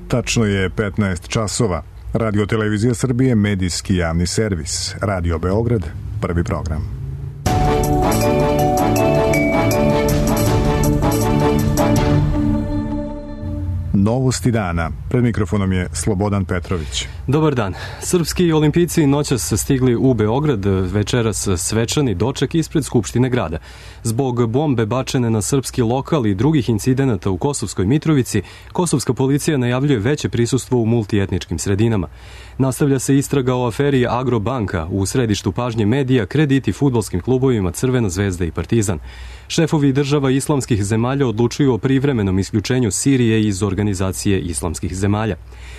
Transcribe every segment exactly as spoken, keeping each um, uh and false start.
Tačno je petnaest časova. Radio Televizija Srbije, medijski javni servis. Radio Beograd, prvi program. Novosti dana. Pred mikrofonom je Slobodan Petrović. Dobar dan. Srpski olimpijci noćas stigli u Beograd, večeras svečani doček ispred Skupštine grada. Zbog bombe bačene na srpski lokal i drugih incidenata u Kosovskoj Mitrovici, kosovska policija najavljuje veće prisustvo u multietničkim sredinama. Nastavlja se istraga o aferi Agrobanka, u središtu pažnje medija krediti fudbalskim klubovima Crvena zvezda i Partizan. Šefovi država islamskih zemalja odlučuju o privremenom isključenju Sirije iz organizacije islamskih zemalja.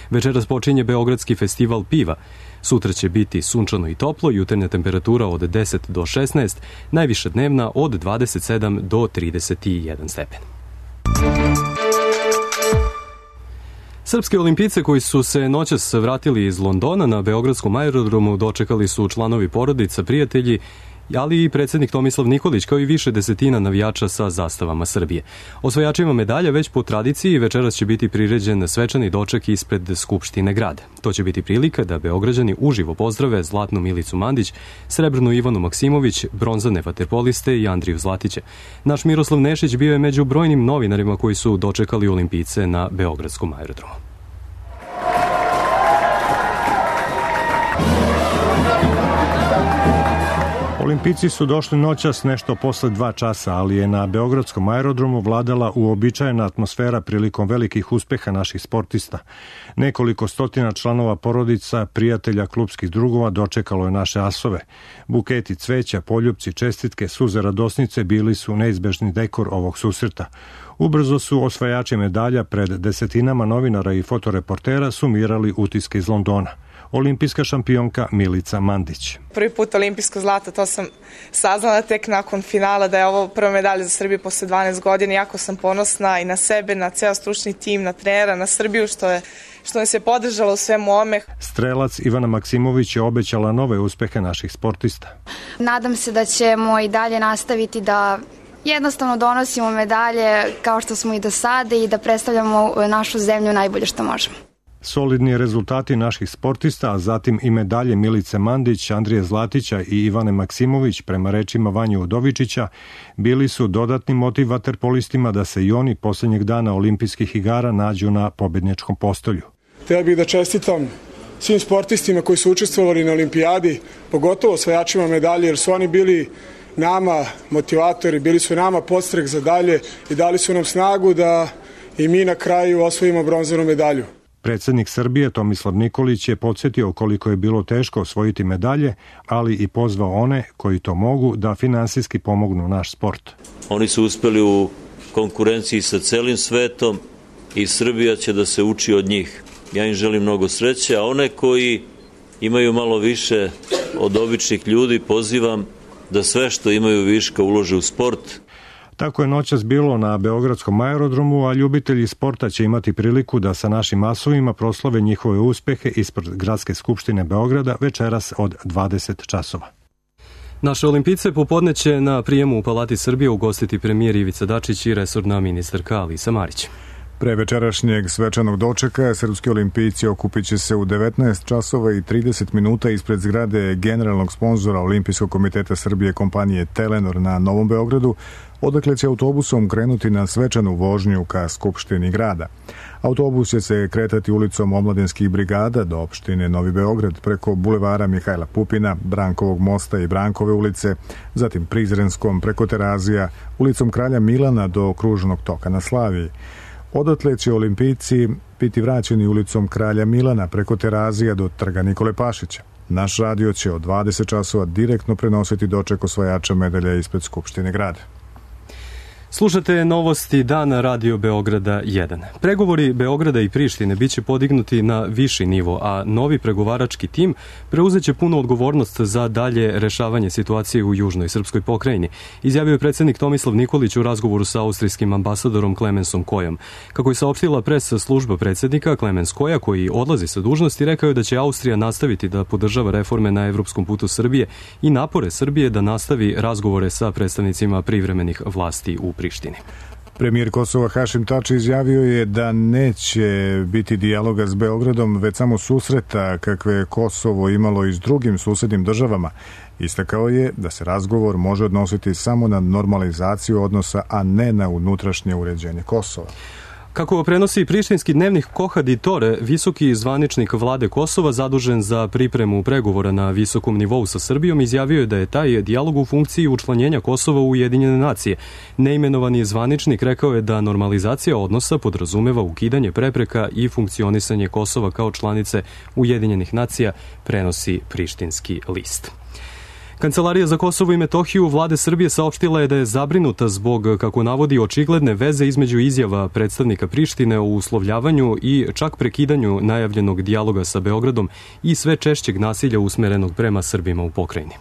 Večeras počinje Beogradski festival piva. Sutra će biti sunčano i toplo, jutarnja temperatura od deset do šesnaest, najviša dnevna od dvadeset sedam do trideset jedan stepen. Srpski olimpijce koji su se noćas vratili iz Londona na Beogradskom aerodromu dočekali su članovi porodica, prijatelji, ali i predsjednik Tomislav Nikolić, kao i više desetina navijača sa zastavama Srbije. Osvajačima medalja već po tradiciji večeras će biti priređen svečani doček ispred Skupštine grada. To će biti prilika da Beograđani uživo pozdrave zlatnu Milicu Mandić, srebrnu Ivanu Maksimović, bronzane vaterpoliste i Andriju Zlatića. Naš Miroslav Nešić bio je među brojnim novinarima koji su dočekali olimpijce na Beogradskom aerodromu. Olimpijci su došli noćas nešto posle dva časa, ali je na Beogradskom aerodromu vladala uobičajena atmosfera prilikom velikih uspeha naših sportista. Nekoliko stotina članova porodica, prijatelja, klupskih drugova dočekalo je naše asove. Buketi cveća, poljupci, čestitke, suze radosnice bili su neizbežni dekor ovog susreta. Ubrzo su osvajači medalja pred desetinama novinara i fotoreportera sumirali utiske iz Londona. Olimpijska šampionka Milica Mandić. Prvi put olimpijsko zlato, to sam saznala tek nakon finala da je ovo prva medalja za Srbiju posle dvanaest godina. Jako sam ponosna i na sebe, na ceo stručni tim, na trenera, na Srbiju što je što nas je podržalo u svemu ome. Strelac Ivana Maksimović je obećala nove uspehe naših sportista. Nadam se da ćemo i dalje nastaviti da jednostavno donosimo medalje kao što smo i do sada i da predstavljamo našu zemlju najbolje što možemo. Solidni rezultati naših sportista, a zatim i medalje Milice Mandić, Andrije Zlatića i Ivane Maksimović, prema rečima Vanje Udovičića, bili su dodatni motiv vaterpolistima da se i oni posljednjeg dana olimpijskih igara nađu na pobedničkom postolju. Htio bih da čestitam svim sportistima koji su učestvovali na olimpijadi, pogotovo osvajačima medalje, jer su oni bili nama motivatori, bili su nama podstrek za dalje i dali su nam snagu da i mi na kraju osvojimo bronzanu medalju. Predsjednik Srbije Tomislav Nikolić je podsjetio koliko je bilo teško osvojiti medalje, ali i pozvao one koji to mogu da finansijski pomognu naš sport. Oni su uspeli u konkurenciji sa celim svetom i Srbija će da se uči od njih. Ja im želim mnogo sreće, a one koji imaju malo više od običnih ljudi pozivam da sve što imaju viška ulože u sport. Tako je noćas bilo na Beogradskom aerodromu, a ljubitelji sporta će imati priliku da sa našim asovima proslave njihove uspehe ispred Gradske skupštine Beograda večeras od dvadeset časova. Naše olimpijce popodne će na prijemu u Palati Srbije ugostiti premijer Ivica Dačić i resorna ministarka Alisa Marić. Pre večerašnjeg svečanog dočeka srpski olimpijci okupit će se u devetnaest časova i trideset minuta ispred zgrade generalnog sponzora Olimpijskog komiteta Srbije kompanije Telenor na Novom Beogradu, odakle će autobusom krenuti na svečanu vožnju ka Skupštini grada. Autobus će se kretati ulicom Omladinskih brigada do opštine Novi Beograd preko bulevara Mihajla Pupina, Brankovog mosta i Brankove ulice, zatim Prizrenskom preko Terazija, ulicom Kralja Milana do kružnog toka na Slaviji. Odatle će olimpijci biti vraćeni ulicom Kralja Milana preko Terazija do Trga Nikole Pašića. Naš radio će od dvadeset časova direktno prenositi doček osvajača medalja ispred Skupštine grada. Slušate novosti dana Radio Beograda jedan. Pregovori Beograda i Prištine biće podignuti na viši nivo, a novi pregovarački tim preuzeće punu odgovornost za dalje rešavanje situacije u južnoj srpskoj pokrajini, izjavio je predsjednik Tomislav Nikolić u razgovoru sa austrijskim ambasadorom Klemensom Kojom. Kako je saopštila pres služba predsjednika, Klemens Koja, koji odlazi sa dužnosti, rekao je da će Austrija nastaviti da podržava reforme na evropskom putu Srbije i napore Srbije da nastavi razgovore sa predstavnicima privremenih vlasti u Prištini. Premijer Kosova Hašim Tači izjavio je da neće biti dijaloga s Beogradom, već samo susreta kakve je Kosovo imalo i s drugim susednim državama. Istakao je da se razgovor može odnositi samo na normalizaciju odnosa, a ne na unutrašnje uređenje Kosova. Kako prenosi prištinski dnevnik Kohadi Tore, visoki zvaničnik vlade Kosova zadužen za pripremu pregovora na visokom nivou sa Srbijom izjavio je da je taj dijalog u funkciji učlanjenja Kosova u Ujedinjene nacije. Neimenovani zvaničnik rekao je da normalizacija odnosa podrazumeva ukidanje prepreka i funkcionisanje Kosova kao članice Ujedinjenih nacija, prenosi prištinski list. Kancelarija za Kosovo i Metohiju vlade Srbije saopštila je da je zabrinuta zbog, kako navodi, očigledne veze između izjava predstavnika Prištine o uslovljavanju i čak prekidanju najavljenog dijaloga sa Beogradom i sve češćeg nasilja usmerenog prema Srbima u pokrajini.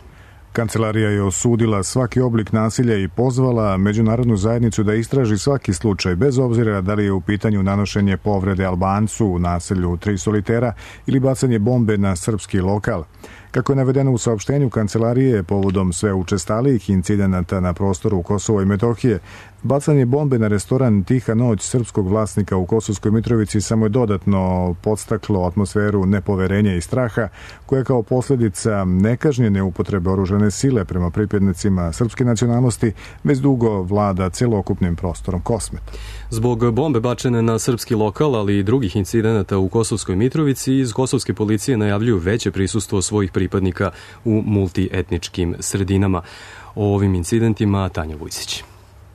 Kancelarija je osudila svaki oblik nasilja i pozvala međunarodnu zajednicu da istraži svaki slučaj, bez obzira da li je u pitanju nanošenje povrede Albancu u naselju Tri solitera ili bacanje bombe na srpski lokal. Kako je navedeno u saopštenju Kancelarije, povodom sve učestalijih incidenata na prostoru Kosova i Metohije, bacanje bombe na restoran Tiha noć srpskog vlasnika u Kosovskoj Mitrovici samo je dodatno podstaklo atmosferu nepoverenja i straha, koja kao posljedica nekažnjene upotrebe oružane sile prema pripadnicima srpske nacionalnosti već dugo vlada celokupnim prostorom Kosmeta. Zbog bombe bačene na srpski lokal, ali i drugih incidenata u Kosovskoj Mitrovici, iz kosovske policije najavljuju veće prisustvo svojih pripadnika u multietničkim sredinama. O ovim incidentima Tanja Vujsić.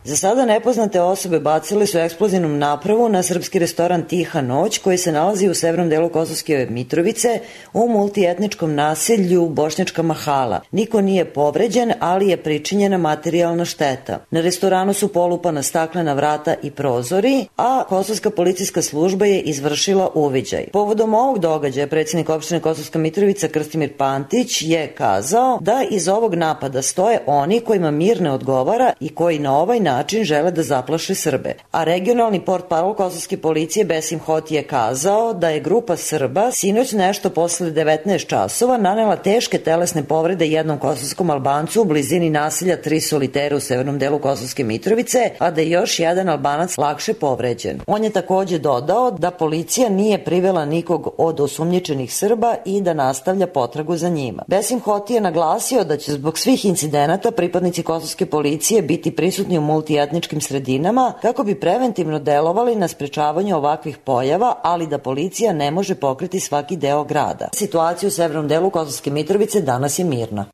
Za sada nepoznate osobe bacile su eksplozivnom napravu na srpski restoran Tiha noć, koji se nalazi u severnom delu Kosovske Mitrovice u multietničkom naselju Bošnjačka Mahala. Niko nije povređen, ali je pričinjena materijalna šteta. Na restoranu su polupana staklena vrata i prozori, a kosovska policijska služba je izvršila uviđaj. Povodom ovog događaja predsjednik opštine Kosovska Mitrovica Krstimir Pantić je kazao da iz ovog napada stoje oni kojima mir ne odgovara i koji na ovaj način način žele da zaplaše Srbe. A regionalni portparol kosovske policije Besim Hoti je kazao da je grupa Srba sinoć nešto posle devetnaest časova nanela teške telesne povrede jednom kosovskom Albancu u blizini naselja Tri solitera u severnom delu Kosovske Mitrovice, a da je još jedan Albanac lakše povređen. On je takođe dodao da policija nije privela nikog od osumnjičenih Srba i da nastavlja potragu za njima. Besim Hoti je naglasio da će zbog svih incidenata pripadnici kosovske policije biti prisutni u multietničkim sredinama kako bi preventivno delovali na sprečavanju ovakvih pojava, ali da policija ne može pokriti svaki deo grada. Situacija u severnom delu Kosovske Mitrovice danas je mirna.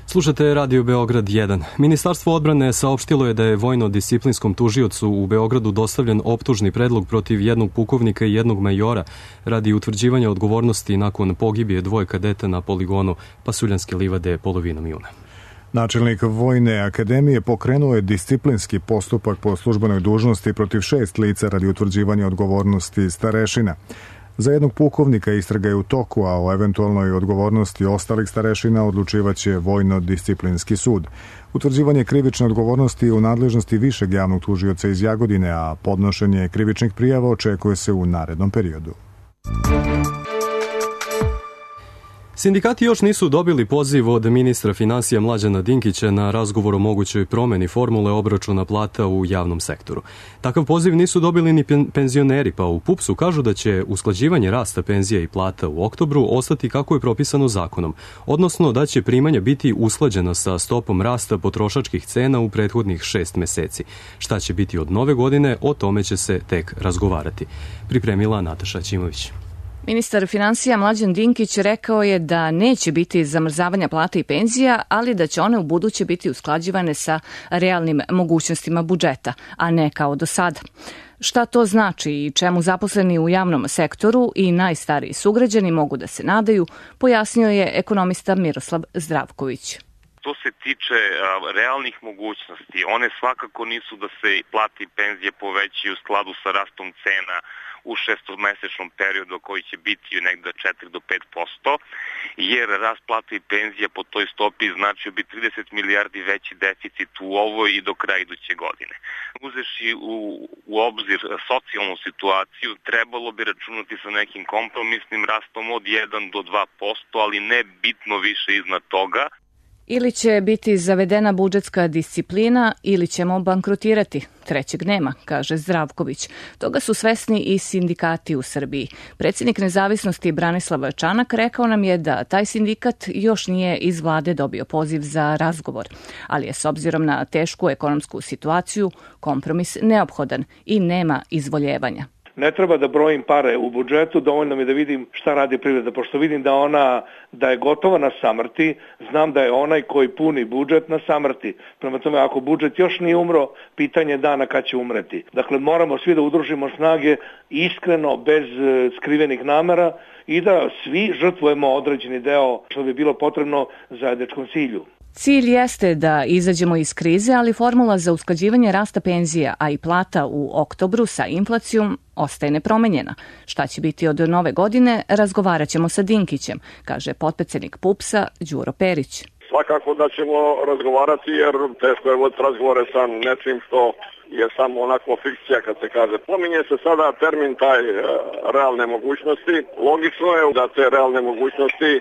Slušate Radio Beograd jedan. Ministarstvo odbrane saopštilo je da je vojno-disciplinskom tužiocu u Beogradu dostavljen optužni predlog protiv jednog pukovnika i jednog majora radi utvrđivanja odgovornosti nakon pogibije dvoje kadeta na poligonu Pasuljanske livade polovinom juna. Načelnik Vojne akademije pokrenuo je disciplinski postupak po službenoj dužnosti protiv šest lica radi utvrđivanja odgovornosti starešina. Za jednog pukovnika istraga je u toku, a o eventualnoj odgovornosti ostalih starešina odlučivaće Vojno-disciplinski sud. Utvrđivanje krivične odgovornosti je u nadležnosti višeg javnog tužioca iz Jagodine, a podnošenje krivičnih prijava očekuje se u narednom periodu. Sindikati još nisu dobili poziv od ministra finansija Mlađana Dinkića na razgovor o mogućoj promeni formule obračuna plata u javnom sektoru. Takav poziv nisu dobili ni penzioneri, pa u PUPS-u kažu da će usklađivanje rasta penzija i plata u oktobru ostati kako je propisano zakonom, odnosno da će primanja biti usklađena sa stopom rasta potrošačkih cena u prethodnih šest meseci. Šta će biti od nove godine, o tome će se tek razgovarati. Pripremila Nataša Ćimović. Ministar finansija Mlađan Dinkić rekao je da neće biti zamrzavanja plata i penzija, ali da će one u buduće biti usklađivane sa realnim mogućnostima budžeta, a ne kao do sada. Šta to znači i čemu zaposleni u javnom sektoru i najstariji sugrađani mogu da se nadaju, pojasnio je ekonomista Miroslav Zdravković. To se tiče a, realnih mogućnosti. One svakako nisu da se plate i penzije povećaju u skladu sa rastom cena u šestomesečnom periodu koji će biti negde četiri do pet posto, jer rast plata i penzija po toj stopi značio bi trideset milijardi veći deficit u ovoj i do kraja iduće godine. Uzeši u, u obzir socijalnu situaciju, trebalo bi računati sa nekim kompromisnim rastom od jedan do dva posto, ali ne bitno više iznad toga. Ili će biti zavedena budžetska disciplina ili ćemo bankrotirati. Trećeg nema, kaže Zdravković. Toga su svesni i sindikati u Srbiji. Predsjednik Nezavisnosti Branislav Čanak rekao nam je da taj sindikat još nije iz vlade dobio poziv za razgovor, ali je s obzirom na tešku ekonomsku situaciju kompromis neophodan i nema izvoljevanja. Ne treba da brojim pare u budžetu, dovoljno mi da vidim šta radi privreda, pošto vidim da ona da je gotova na samrti, znam da je onaj koji puni budžet na samrti. Prema tome, ako budžet još nije umro, pitanje dana kad će umreti. Dakle, moramo svi da udružimo snage iskreno, bez skrivenih namera i da svi žrtvujemo određeni deo što bi bilo potrebno zajedničkom cilju. Cilj jeste da izađemo iz krize, ali formula za usklađivanje rasta penzija, a i plata u oktobru sa inflacijom ostaje nepromenjena. Šta će biti od nove godine, razgovarat ćemo sa Dinkićem, kaže potpredsednik PUPS-a Đuro Perić. Svakako da ćemo razgovarati jer teško je voditi razgovore sa nečim što je samo onako fikcija kad se kaže. Pominje se sada termin taj e, realne mogućnosti. Logično je da te realne mogućnosti e,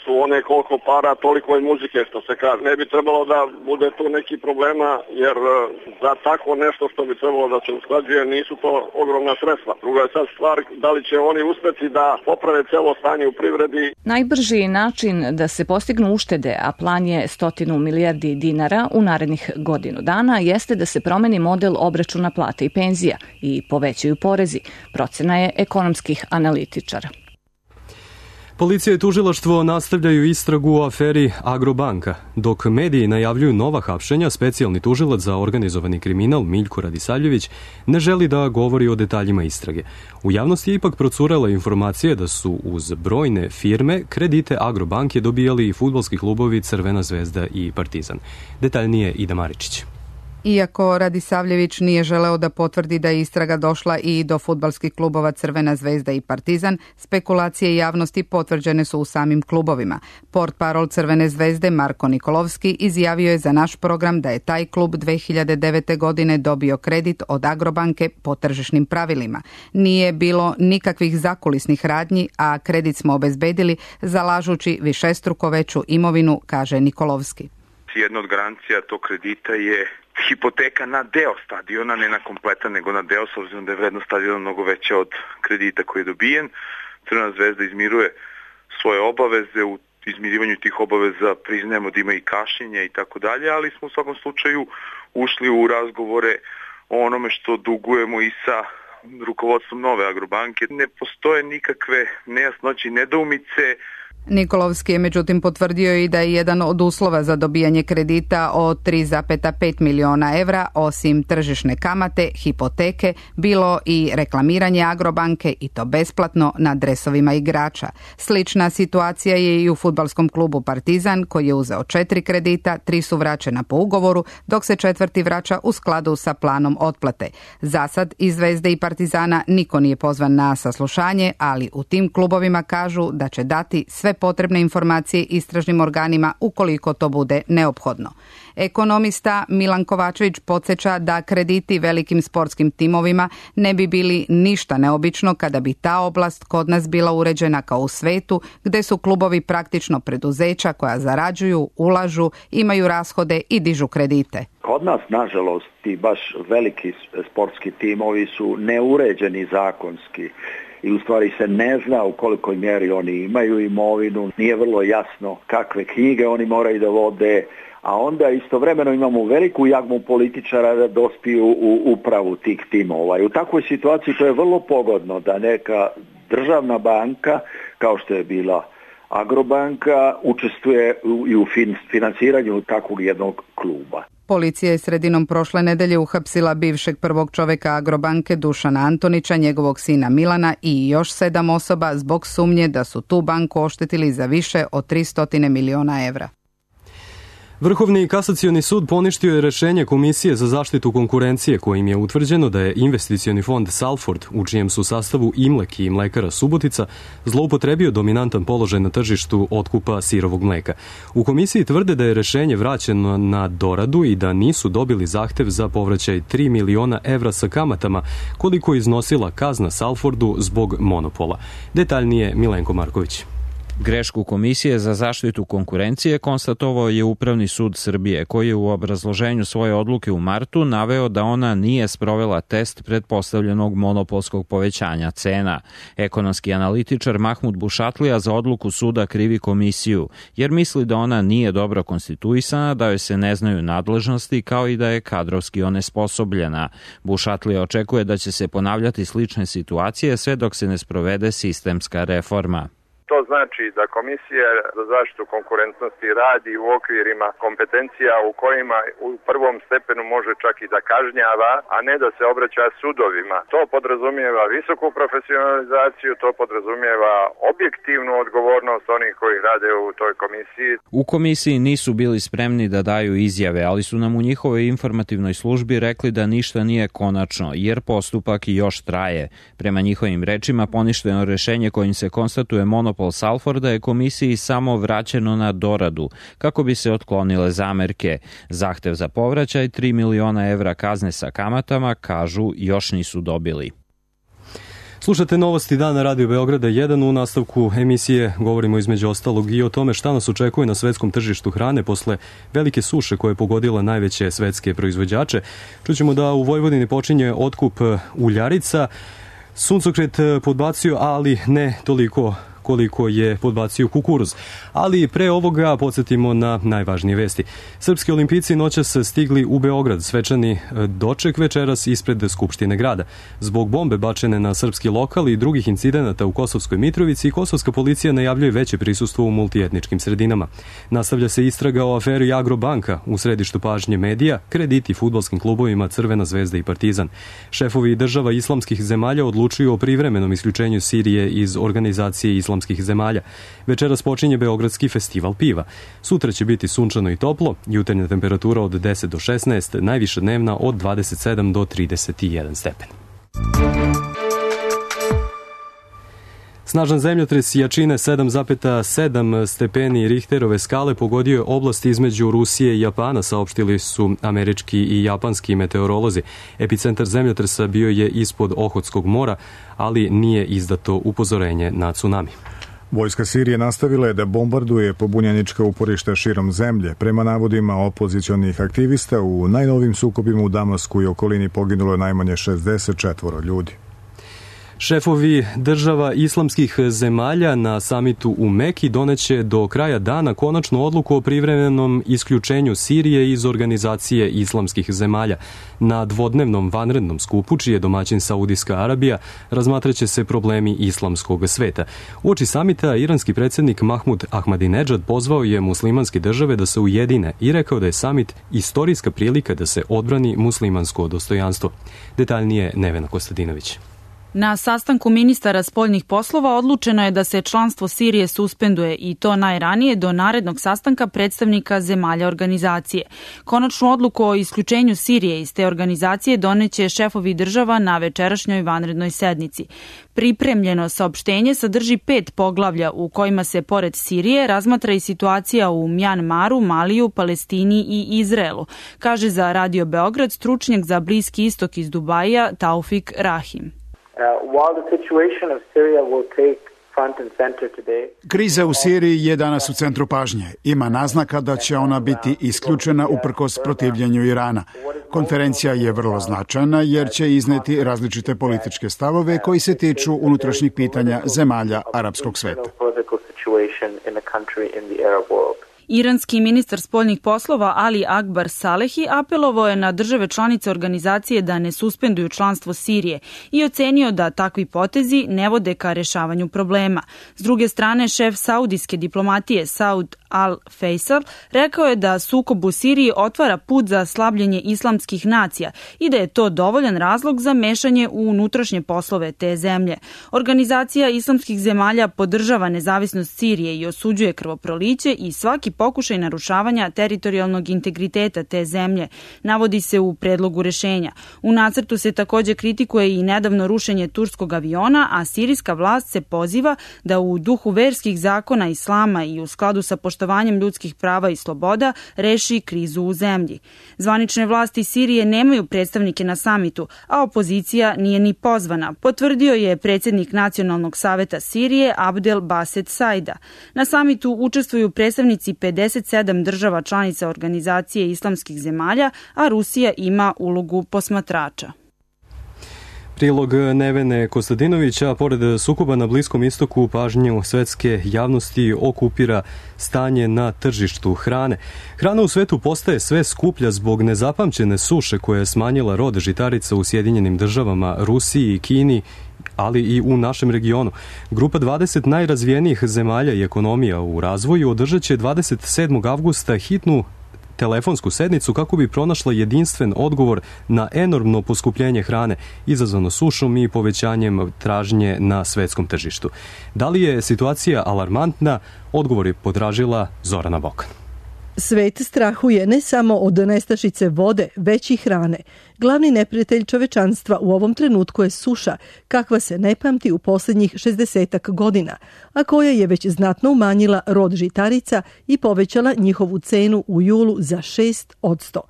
su one koliko para, toliko i muzike što se kaže. Ne bi trebalo da bude tu neki problema jer e, za tako nešto što bi trebalo da se usklađuje nisu to ogromna sredstva. Druga je sad stvar da li će oni uspeti da poprave celo stanje u privredi. Najbrži način da se postignu uštede, a plan je stotinu milijardi dinara u narednih godinu dana, jeste da se promeni model obračuna plata i penzija i povećaju porezi, procena je ekonomskih analitičara. Policija i tužilaštvo nastavljaju istragu u aferi Agrobanka. Dok mediji najavljuju nova hapšenja, specijalni tužilac za organizovani kriminal Miljko Radisavljević ne želi da govori o detaljima istrage. U javnosti je ipak procurela informacija da su uz brojne firme kredite Agrobanke dobijali i fudbalski klubovi Crvena zvezda i Partizan. Detaljnije Ida Maričić. Iako Radisavljević nije želeo da potvrdi da je istraga došla i do fudbalskih klubova Crvena zvezda i Partizan, spekulacije javnosti potvrđene su u samim klubovima. Portparol Crvene zvezde Marko Nikolovski izjavio je za naš program da je taj klub dve hiljade devete. godine dobio kredit od Agrobanke po tržišnim pravilima. Nije bilo nikakvih zakulisnih radnji, a kredit smo obezbedili zalažući višestruko veću imovinu, kaže Nikolovski. Jedna od garancija tog kredita je hipoteka na deo stadiona, ne na kompletan, nego na deo, s obzirom da je vrednost stadiona mnogo veća od kredita koji je dobijen. Crvena zvezda izmiruje svoje obaveze, u izmirivanju tih obaveza priznajemo da ima i kašnjenja i tako dalje, ali smo u svakom slučaju ušli u razgovore o onome što dugujemo i sa rukovodstvom nove Agrobanke. Ne postoje nikakve nejasnoće i nedoumice. Nikolovski je međutim potvrdio i da je jedan od uslova za dobijanje kredita od tri zarez pet miliona evra, osim tržišne kamate, hipoteke, bilo i reklamiranje Agrobanke i to besplatno na dresovima igrača. Slična situacija je i u fudbalskom klubu Partizan koji je uzeo četiri kredita, tri su vraćena po ugovoru, dok se četvrti vraća u skladu sa planom otplate. Zasad iz Zvezde i Partizana niko nije pozvan na saslušanje, ali u tim klubovima kažu da će dati sve potrebne informacije istražnim organima ukoliko to bude neophodno. Ekonomista Milan Kovačević podsjeća da krediti velikim sportskim timovima ne bi bili ništa neobično kada bi ta oblast kod nas bila uređena kao u svetu, gde su klubovi praktično preduzeća koja zarađuju, ulažu, imaju rashode i dižu kredite. Kod nas, nažalost, ti baš veliki sportski timovi su neuređeni zakonski. I u stvari se ne zna u kolikoj mjeri oni imaju imovinu, nije vrlo jasno kakve knjige oni moraju da vode, a onda istovremeno imamo veliku jagmu političara da dospiju u upravu tih timova. I u takvoj situaciji to je vrlo pogodno da neka državna banka, kao što je bila Agrobanka, učestvuje i u finansiranju takvog jednog kluba. Policija je sredinom prošle nedelje uhapsila bivšeg prvog čoveka Agrobanke Dušana Antonića, njegovog sina Milana i još sedam osoba zbog sumnje da su tu banku oštetili za više od tristo miliona evra. Vrhovni kasacioni sud poništio je rešenje Komisije za zaštitu konkurencije kojim je utvrđeno da je investicioni fond Salford, u čijem su sastavu Imlek i Mlekara Subotica, zloupotrebio dominantan položaj na tržištu otkupa sirovog mleka. U komisiji tvrde da je rešenje vraćeno na doradu i da nisu dobili zahtev za povraćaj tri miliona evra sa kamatama, koliko je iznosila kazna Salfordu zbog monopola. Detaljnije Milenko Marković. Grešku Komisije za zaštitu konkurencije konstatovao je Upravni sud Srbije, koji je u obrazloženju svoje odluke u martu naveo da ona nije sprovela test pretpostavljenog monopolskog povećanja cena. Ekonomski analitičar Mahmud Bušatlija za odluku suda krivi komisiju, jer misli da ona nije dobro konstituisana, da joj se ne znaju nadležnosti, kao i da je kadrovski onesposobljena. Bušatlija očekuje da će se ponavljati slične situacije sve dok se ne sprovede sistemska reforma. To znači da Komisija za zaštitu konkurentnosti radi u okvirima kompetencija u kojima u prvom stepenu može čak i da kažnjava, a ne da se obraća sudovima. To podrazumijeva visoku profesionalizaciju, to podrazumijeva objektivnu odgovornost onih koji rade u toj komisiji. U komisiji nisu bili spremni da daju izjave, ali su nam u njihovoj informativnoj službi rekli da ništa nije konačno, jer postupak još traje. Prema njihovim rečima, poništeno rešenje kojim se konstatuje monopol Salforda je komisiji samo vraćeno na doradu, kako bi se otklonile zamerke. Zahtev za povraćaj tri miliona evra kazne sa kamatama, kažu, još nisu dobili. Slušate novosti dana Radio Beograda jedan. U nastavku emisije govorimo između ostalog i o tome šta nas očekuje na svetskom tržištu hrane posle velike suše koje je pogodila najveće svetske proizvođače. Čućemo da u Vojvodini počinje otkup uljarica. Suncokret podbacio, ali ne toliko koliko je podbacio kukuruz. Ali pre ovoga podsjetimo na najvažnije vesti. Srpski olimpijci noćas stigli u Beograd, svečani doček večeras ispred Skupštine grada. Zbog bombe bačene na srpski lokal i drugih incidenata u Kosovskoj Mitrovici, kosovska policija najavljuje veće prisustvo u multietničkim sredinama. Nastavlja se istraga o aferi Agrobanka, u središtu pažnje medija, krediti fudbalskim klubovima Crvena zvezda i Partizan. Šefovi država islamskih zemalja odlučuju o privremenom isključenju Sirije iz organizacije islamskih zemalja. Večeras počinje Beogradski festival piva. Sutra će biti sunčano i toplo, jutarnja temperatura od deset do šesnaest, najviša dnevna od dvadeset sedam do trideset jedan stepen. Snažan zemljotres jačine sedam zarez sedam stepeni Richterove skale pogodio je oblast između Rusije i Japana, saopštili su američki i japanski meteorolozi. Epicentar zemljotresa bio je ispod Ohotskog mora, ali nije izdato upozorenje na tsunami. Vojska Sirije nastavila je da bombarduje pobunjenička uporišta širom zemlje. Prema navodima opozicionih aktivista, u najnovim sukobima u Damasku i okolini poginulo je najmanje šezdeset četvoro ljudi. Šefovi država islamskih zemalja na samitu u Meki doneće do kraja dana konačnu odluku o privremenom isključenju Sirije iz organizacije islamskih zemalja. Na dvodnevnom vanrednom skupu, čiji je domaćin Saudijska Arabija, razmatraće se problemi islamskog sveta. Uoči samita, iranski predsjednik Mahmud Ahmadinejad pozvao je muslimanske države da se ujedine i rekao da je samit istorijska prilika da se odbrani muslimansko dostojanstvo. Detaljnije Nevena Kostadinović. Na sastanku ministara spoljnih poslova odlučeno je da se članstvo Sirije suspenduje i to najranije do narednog sastanka predstavnika zemalja organizacije. Konačnu odluku o isključenju Sirije iz te organizacije doneće šefovi država na večerašnjoj vanrednoj sednici. Pripremljeno saopštenje sadrži pet poglavlja u kojima se pored Sirije razmatra i situacija u Mjanmaru, Maliju, Palestini i Izraelu, kaže za Radio Beograd stručnjak za Bliski istok iz Dubaija Taufik Rahim. Kriza u Siriji je danas u centru pažnje. Ima naznaka da će ona biti isključena uprkos protivljenju Irana. Konferencija je vrlo značajna jer će izneti različite političke stavove koji se tiču unutrašnjih pitanja zemalja arapskog sveta. Iranski ministar spoljnih poslova Ali Akbar Salehi apelovao je na države članice organizacije da ne suspenduju članstvo Sirije i ocenio da takvi potezi ne vode ka rešavanju problema. S druge strane, šef saudijske diplomatije Saud Al-Faisal rekao je da sukob u Siriji otvara put za slabljenje islamskih nacija i da je to dovoljan razlog za mešanje u unutrašnje poslove te zemlje. Organizacija islamskih zemalja podržava nezavisnost Sirije i osuđuje krvoproliće i svaki pokušaj narušavanja teritorijalnog integriteta te zemlje, navodi se u predlogu rešenja. U nacrtu se takođe kritikuje i nedavno rušenje turskog aviona, a sirijska vlast se poziva da u duhu verskih zakona islama i u skladu sa poštovanjem ljudskih prava i sloboda reši krizu u zemlji. Zvanične vlasti Sirije nemaju predstavnike na samitu, a opozicija nije ni pozvana, potvrdio je predsjednik Nacionalnog saveta Sirije Abdel Baset Saida. Na samitu učestvuju predstavnici pedeset sedam država članica Organizacije islamskih zemalja, a Rusija ima ulogu posmatrača. Prilog Nevene Kostadinovića, pored sukoba na Bliskom istoku, pažnju svetske javnosti okupira stanje na tržištu hrane. Hrana u svetu postaje sve skuplja zbog nezapamćene suše koja je smanjila rod žitarica u Sjedinjenim državama, Rusiji i Kini, ali i u našem regionu. Grupa dvadeset najrazvijenijih zemalja i ekonomija u razvoju održat će dvadeset sedmog avgusta hitnu telefonsku sednicu kako bi pronašla jedinstven odgovor na enormno poskupljenje hrane izazvano sušom i povećanjem tražnje na svetskom tržištu. Da li je situacija alarmantna? Odgovor je potražila Zorana Bokan. Svet strahuje ne samo od nestašice vode, već i hrane. Glavni neprijatelj čovečanstva u ovom trenutku je suša, kakva se ne pamti u posljednjih šezdesetak godina, a koja je već znatno umanjila rod žitarica i povećala njihovu cenu u julu za šest posto.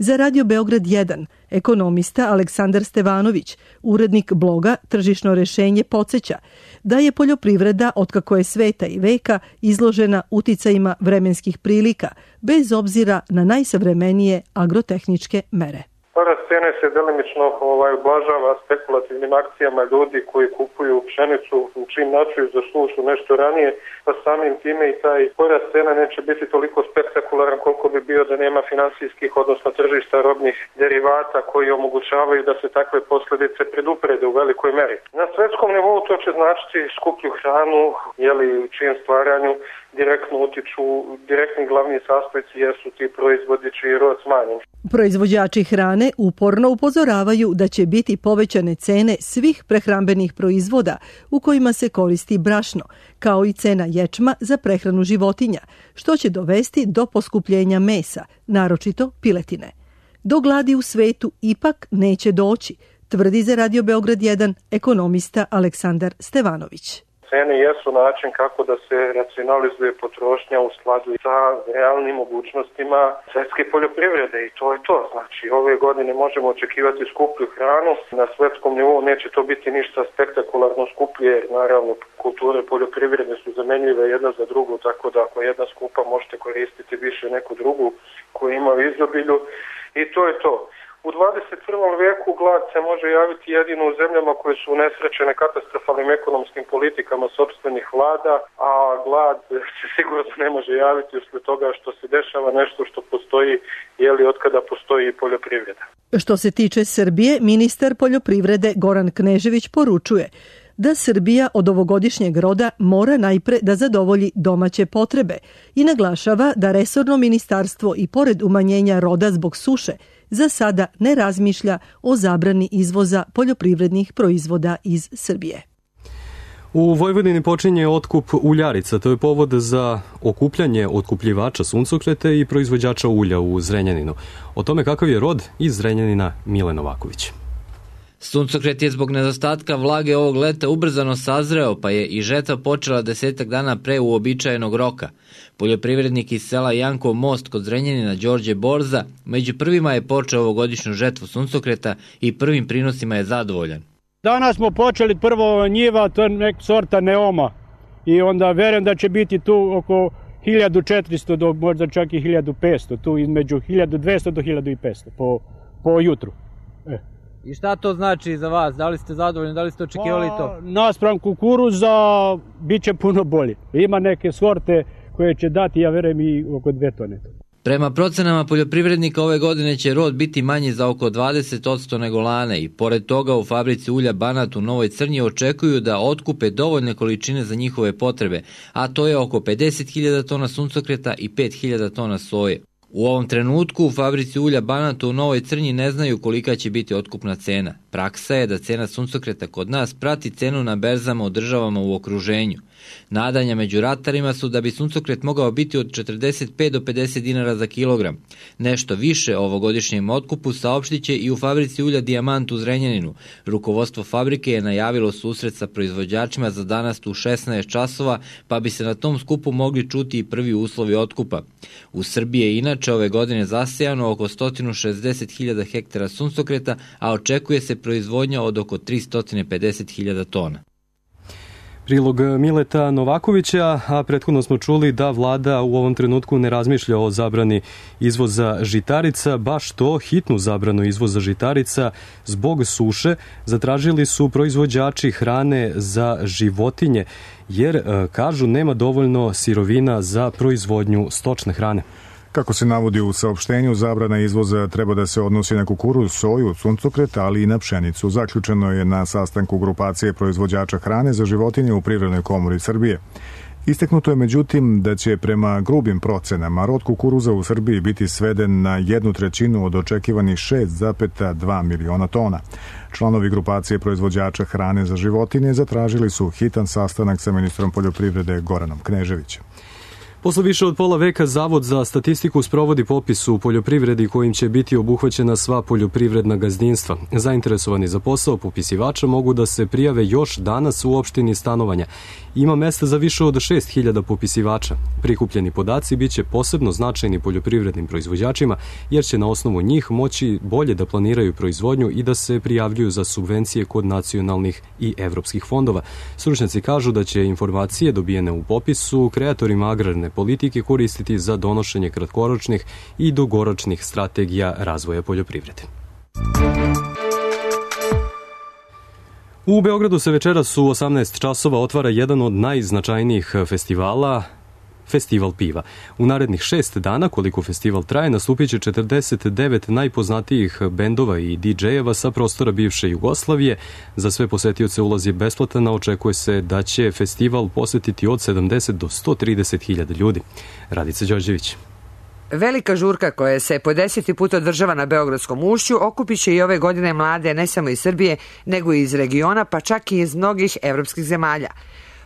Za Radio Beograd jedan, ekonomista Aleksandar Stevanović, urednik bloga Tržišno rešenje, podsjeća da je poljoprivreda, otkako je sveta i veka, izložena uticajima vremenskih prilika, bez obzira na najsavremenije agrotehničke mere. Porast cene se delimično ovaj, ublažava spekulativnim akcijama ljudi koji kupuju pšenicu u čim načuju za sušu nešto ranije, pa samim time i taj porast cena neće biti toliko spektakularan koliko bi bio da nema finansijskih, odnosno tržišta robnih derivata koji omogućavaju da se takve posljedice preduprede u velikoj meri. Na svetskom nivou to će značiti skuplju hranu, jeli u čijem stvaranju direktno utiču, direktni glavni sastojci jesu ti proizvodi čiji je rod smanjen. Proizvođači hrane uporno upozoravaju da će biti povećane cene svih prehrambenih proizvoda u kojima se koristi brašno, kao i cena ječma za prehranu životinja, što će dovesti do poskupljenja mesa, naročito piletine. Do gladi u svetu ipak neće doći, tvrdi za Radio Beograd jedan ekonomista Aleksandar Stevanović. Cene jesu način kako da se racionalizuje potrošnja u skladu sa realnim mogućnostima svetske poljoprivrede i to je to. Znači, ove godine možemo očekivati skuplju hranu. Na svetskom nivou neće to biti ništa spektakularno skuplje, jer naravno kulture poljoprivredne su zamenljive jedna za drugu, tako da ako jedna skupa možete koristiti više neku drugu koju ima u izobilju i to je to. U dvadeset prvom vijeku glad se može javiti jedino u zemljama koje su unesrećene katastrofalnim ekonomskim politikama sopstvenih vlada, a glad se sigurno ne može javiti usled toga što se dešava nešto što postoji, jeli od kada postoji i poljoprivreda. Što se tiče Srbije, ministar poljoprivrede Goran Knežević poručuje da Srbija od ovogodišnjeg roda mora najpre da zadovolji domaće potrebe i naglašava da resorno ministarstvo i pored umanjenja roda zbog suše za sada ne razmišlja o zabrani izvoza poljoprivrednih proizvoda iz Srbije. U Vojvodini počinje otkup uljarica. To je povod za okupljanje otkupljivača suncokreta i proizvođača ulja u Zrenjaninu. O tome kakav je rod iz Zrenjanina Mile Novaković. Suncokret je zbog nedostatka vlage ovog leta ubrzano sazreo, pa je i žetva počela desetak dana pre uobičajenog roka. Poljoprivrednik iz sela Jankov Most kod Zrenjanina Đorđe Borza među prvima je počeo ovogodišnju žetvu suncokreta i prvim prinosima je zadovoljan. Danas smo počeli prvo njiva, to je nek sorta Neoma i onda verujem da će biti tu oko hiljadu četiristo do možda čak i hiljadu petsto, tu između hiljadu dvesta do hiljadu petsto po, po jutru. E. I šta to znači za vas? Da li ste zadovoljni? Da li ste očekivali to? Pa, naspram kukuruza bit će puno bolje. Ima neke sorte koje će dati, ja verujem, i oko dve tone. Prema procenama poljoprivrednika ove godine će rod biti manji za oko dvadeset posto nego lane i pored toga u fabrici ulja Banat u Novoj Crnji očekuju da otkupe dovoljne količine za njihove potrebe, a to je oko pedeset hiljada tona suncokreta i pet hiljada tona soje. U ovom trenutku u fabrici ulja Banat u Novoj Crnji ne znaju kolika će biti otkupna cena. Praksa je da cena suncokreta kod nas prati cenu na berzama u državama u okruženju. Nadanja među ratarima su da bi suncokret mogao biti od četrdeset pet do pedeset dinara za kilogram. Nešto više o ovogodišnjem otkupu saopštit će i u fabrici ulja Dijamant u Zrenjaninu. Rukovodstvo fabrike je najavilo susret sa proizvođačima za danas u šesnaest časova, pa bi se na tom skupu mogli čuti i prvi uslovi otkupa. U Srbiji je inače ove godine zasejano oko sto šezdeset hiljada hektara suncokreta, a očekuje se proizvodnja od oko tristo pedeset hiljada tona. Prilog Mileta Novakovića, a prethodno smo čuli da vlada u ovom trenutku ne razmišlja o zabrani izvoza žitarica, baš to, hitnu zabranu izvoza žitarica zbog suše zatražili su proizvođači hrane za životinje, jer, kažu, nema dovoljno sirovina za proizvodnju stočne hrane. Kako se navodi u saopštenju, zabrana izvoza treba da se odnosi na kukuruz, soju, suncokret, ali i na pšenicu. Zaključeno je na sastanku grupacije proizvođača hrane za životinje u Privrednoj komori Srbije. Istaknuto je međutim da će prema grubim procenama rod kukuruza u Srbiji biti sveden na jednu trećinu od očekivanih šest zarez dva miliona tona. Članovi grupacije proizvođača hrane za životinje zatražili su hitan sastanak sa ministrom poljoprivrede Goranom Kneževićem. Posle više od pola veka Zavod za statistiku sprovodi popis u poljoprivredi kojim će biti obuhvaćena sva poljoprivredna gazdinstva. Zainteresovani za posao popisivača mogu da se prijave još danas u opštini stanovanja. Ima mesta za više od šest hiljada popisivača. Prikupljeni podaci biće posebno značajni poljoprivrednim proizvođačima, jer će na osnovu njih moći bolje da planiraju proizvodnju i da se prijavljuju za subvencije kod nacionalnih i evropskih fondova. Stručnjaci kažu da će informacije dobijene u popisu kreatorima agrarne politike koristiti za donošenje kratkoročnih i dugoročnih strategija razvoja poljoprivrede. U Beogradu se večeras u osamnaest časova otvara jedan od najznačajnijih festivala, Festival piva. U narednih šest dana, koliko festival traje, nastupit će četrdeset devet najpoznatijih bendova i didžejeva sa prostora bivše Jugoslavije. Za sve posetioce ulaz je besplatan, a očekuje se da će festival posetiti od sedamdeset do sto trideset hiljada ljudi. Radica Đorđević. Velika žurka koja se po deseti put održava na Beogradskom ušću okupit će i ove godine mlade ne samo iz Srbije, nego i iz regiona, pa čak i iz mnogih evropskih zemalja.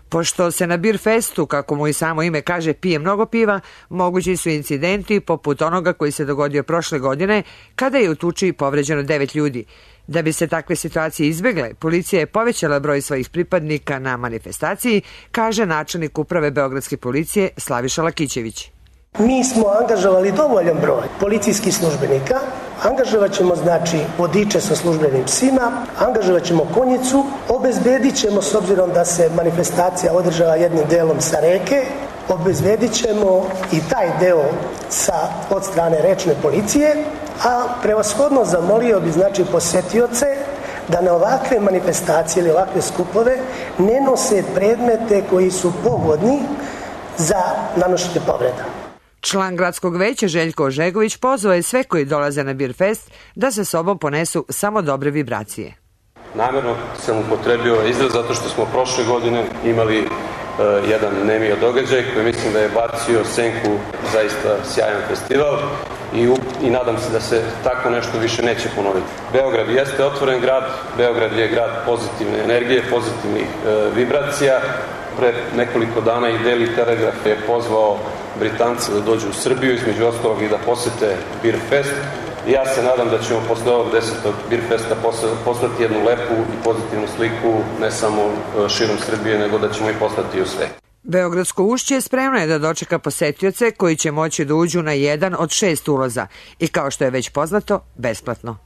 Pošto se na Bir Festu, kako mu i samo ime kaže, pije mnogo piva, mogući su incidenti poput onoga koji se dogodio prošle godine, kada je u tuči povređeno devet ljudi. Da bi se takve situacije izbegle, policija je povećala broj svojih pripadnika na manifestaciji, kaže načelnik uprave Beogradske policije Slaviša Lakićević. Mi smo angažovali dovoljan broj policijskih službenika, angažovat ćemo znači vodiče sa službenim psima, angažovat ćemo konjicu, obezbedit ćemo, s obzirom da se manifestacija održava jednim delom sa reke, obezbedit ćemo i taj deo sa, od strane rečne policije, a prevashodno zamolio bi znači posetioce da na ovakve manifestacije ili ovakve skupove ne nose predmete koji su pogodni za nanošenje povreda. Član gradskog veća Željko Ožegović pozvao je sve koji dolaze na Bir Fest da sa sobom ponesu samo dobre vibracije. Namerno sam upotrebio izraz zato što smo prošle godine imali uh, jedan nemio događaj koji mislim da je bacio senku zaista sjajan festival i, u, i nadam se da se tako nešto više neće ponoviti. Beograd jeste otvoren grad, Beograd je grad pozitivne energije, pozitivnih uh, vibracija. Pre nekoliko dana i Daily Telegraph je pozvao Britance da dođu u Srbiju, između ostalog i da posete Bir Fest. I ja se nadam da ćemo posle ovog desetog Bir Festa poslati jednu lepu i pozitivnu sliku ne samo širom Srbije, nego da ćemo i poslati u sve. Beogradsko ušće spremno je da dočeka posetioce koji će moći da uđu na jedan od šest ulaza i, kao što je već poznato, besplatno.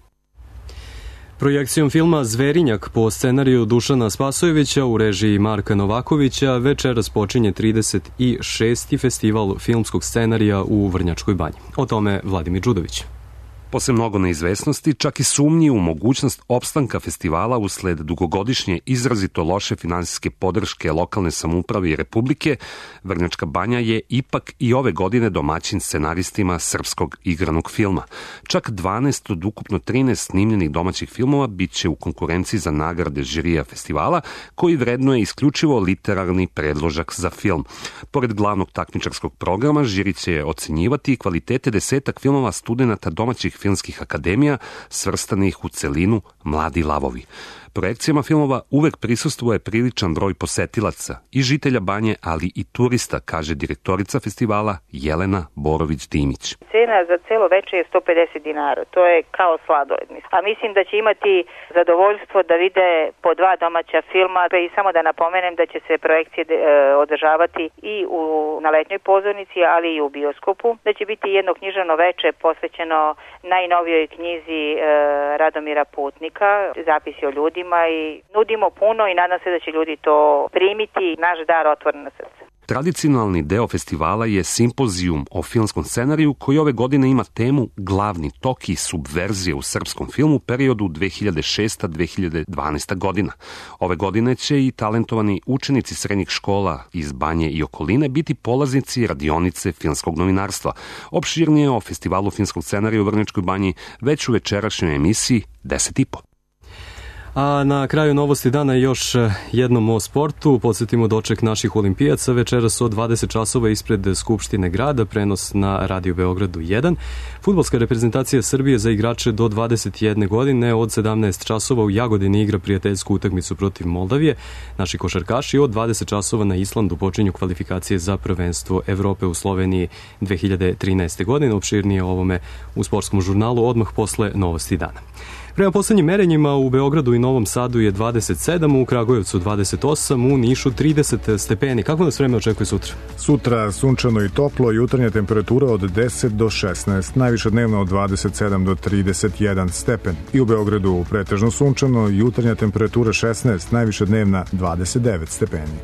Projekcijom filma Zverinjak po scenariju Dušana Spasojevića u režiji Marka Novakovića večeras počinje trideset šesti festival filmskog scenarija u Vrnjačkoj banji. O tome Vladimir Đudović. Posle mnogo neizvesnosti, čak i sumnji u mogućnost opstanka festivala usled dugogodišnje izrazito loše finansijske podrške lokalne samouprave i Republike, Vrnjačka banja je ipak i ove godine domaćin scenaristima srpskog igranog filma. Čak dvanaest od ukupno trinaest snimljenih domaćih filmova bit će u konkurenciji za nagrade žirija festivala, koji vrednuje isključivo literarni predložak za film. Pored glavnog takmičarskog programa, žiri će ocenjivati i kvalitete desetak filmova studenata domaćih filmskih akademija svrstanih u celinu Mladi lavovi. projekcijama filmova uvek prisustvuje priličan broj posetilaca i žitelja Banje, ali i turista, kaže direktorica festivala Jelena Borović-Dimić. Cena za celo veče je sto pedeset dinara, to je kao sladoled. A mislim da će imati zadovoljstvo da vide po dva domaća filma i samo da napomenem da će se projekcije održavati i u, na letnjoj pozornici, ali i u bioskopu, da će biti jedno književno veče posvećeno najnovijoj knjizi e, Radomira Putnika, zapisi o ljudima, i nudimo puno i nadam se da će ljudi to primiti, naš dar otvoren na srce. Tradicionalni deo festivala je simpozijum o filmskom scenariju koji ove godine ima temu Glavni tok i subverzije u srpskom filmu u periodu dve hiljade šesta do dve hiljade dvanaesta godina. Ove godine će i talentovani učenici srednjih škola iz Banje i okoline biti polaznici radionice filmskog novinarstva. Opširnije o festivalu filmskog scenarija u Vrnjačkoj Banji već u večerašnjoj emisiji deset i po. A na kraju novosti dana još jednom o sportu. Podsjetimo doček naših olimpijaca večeras od dvadeset časova ispred Skupštine grada, prenos na Radio Beogradu jedan. Fudbalska reprezentacija Srbije za igrače do dvadeset jedne godine od sedamnaest časova u Jagodini igra prijateljsku utakmicu protiv Moldavije. Naši košarkaši od dvadeset časova na Islandu počinju kvalifikacije za prvenstvo Evrope u Sloveniji dve hiljade trinaeste. godine. Opširnije o ovome u sportskom žurnalu odmah posle novosti dana. Prema poslednjim merenjima u Beogradu i Novom Sadu je dvadeset sedam, u Kragujevcu dvadeset osam, u Nišu trideset stepeni. Kako nas vreme očekuje sutra? Sutra sunčano i toplo, jutarnja temperatura od deset do šesnaest, najviša dnevna od dvadeset sedam do trideset jedan stepen. I u Beogradu pretežno sunčano, jutarnja temperatura šesnaest, najviša dnevna dvadeset devet stepeni.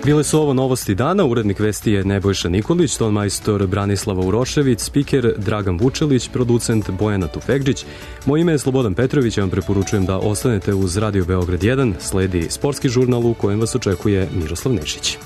Bile su ovo novosti dana, urednik vesti je Nebojša Nikolić, ton majstor Branislava Urošević, spiker Dragan Vučelić, producent Bojana Tufegđić. Moje ime je Slobodan Petrović, ja vam preporučujem da ostanete uz Radio Beograd jedan, sledi sportski žurnal u kojem vas očekuje Miroslav Nešić.